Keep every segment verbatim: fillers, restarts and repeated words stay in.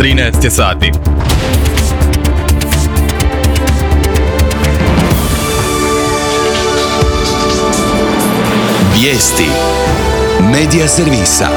trinaest je sati. Vijesti Medija servisa.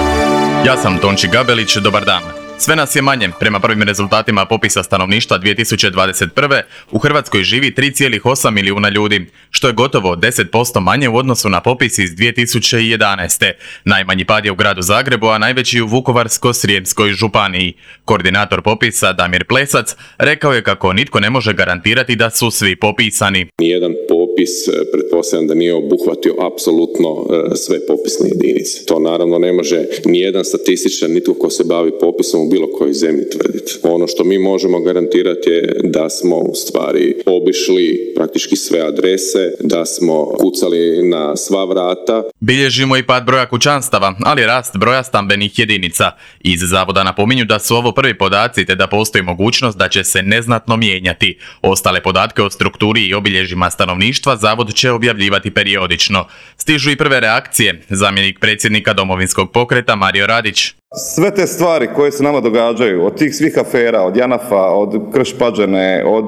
Ja sam Tonči Gabelić, dobar dan. Sve nas je manje. Prema prvim rezultatima popisa stanovništva dvije tisuće dvadeset prve. u Hrvatskoj živi tri zarez osam milijuna ljudi, što je gotovo deset posto manje u odnosu na popis iz dvije tisuće jedanaeste. Najmanji pad je u gradu Zagrebu, a najveći u Vukovarsko-srijemskoj županiji. Koordinator popisa Damir Plesac rekao je kako nitko ne može garantirati da su svi popisani. Nijedan popis, pretpostavljam da nije obuhvatio apsolutno sve popisne jedinice. To naravno ne može nijedan statističar, nitko ko se bavi popisom u bilo kojoj zemlji tvrditi. Ono što mi možemo garantirati je da smo u stvari obišli praktički sve adrese, da smo kucali na sva vrata. Bilježimo i pad broja kućanstava, ali rast broja stambenih jedinica. Iz zavoda napominju da su ovo prvi podaci te da postoji mogućnost da će se neznatno mijenjati. Ostale podatke o strukturi i obilježjima stanovništva zavod će objavljivati periodično. Stižu i prve reakcije. Zamjenik predsjednika Domovinskog pokreta Mario Radić. Sve te stvari koje se nama događaju, od tih svih afera, od Janafa, od Krš-Pađene, od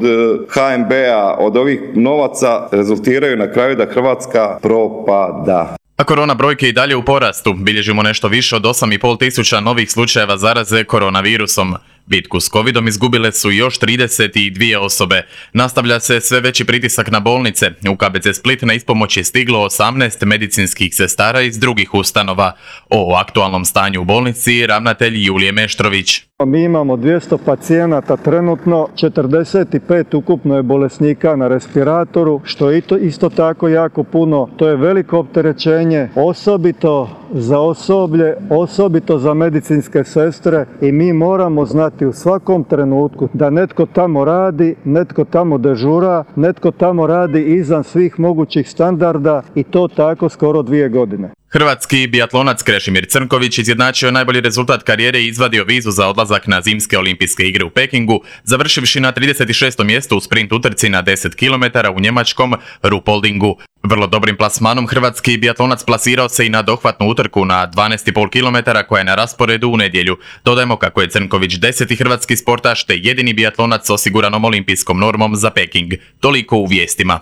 ha em be a, od ovih novaca, rezultiraju na kraju da Hrvatska propada. A korona brojke i dalje u porastu. Bilježimo nešto više od osam i pol tisuća novih slučajeva zaraze koronavirusom. Bitku s covidom izgubile su još trideset dvije osobe. Nastavlja se sve veći pritisak na bolnice. U ka be ce Split na ispomoć je stiglo osamnaest medicinskih sestara iz drugih ustanova. O aktualnom stanju u bolnici ravnatelj Julije Meštrović. Mi imamo dvjesto pacijenata trenutno, četrdeset pet ukupno je bolesnika na respiratoru, što je isto tako jako puno. To je veliko opterećenje, osobito za osoblje, osobito za medicinske sestre, i mi moramo znati u svakom trenutku da netko tamo radi, netko tamo dežura, netko tamo radi izvan svih mogućih standarda, i to tako skoro dvije godine. Hrvatski biatlonac Krešimir Crnković izjednačio najbolji rezultat karijere i izvadio vizu za odlazak na zimske olimpijske igre u Pekingu, završivši na trideset šestom mjestu u sprint utrci na deset kilometara u njemačkom Ruhpoldingu. Vrlo dobrim plasmanom hrvatski biatlonac plasirao se i na dohvatnu utrku na dvanaest i pol kilometara koja je na rasporedu u nedjelju. Dodajmo kako je Crnković deseti hrvatski sportaš te jedini biatlonac s osiguranom olimpijskom normom za Peking. Toliko u vijestima.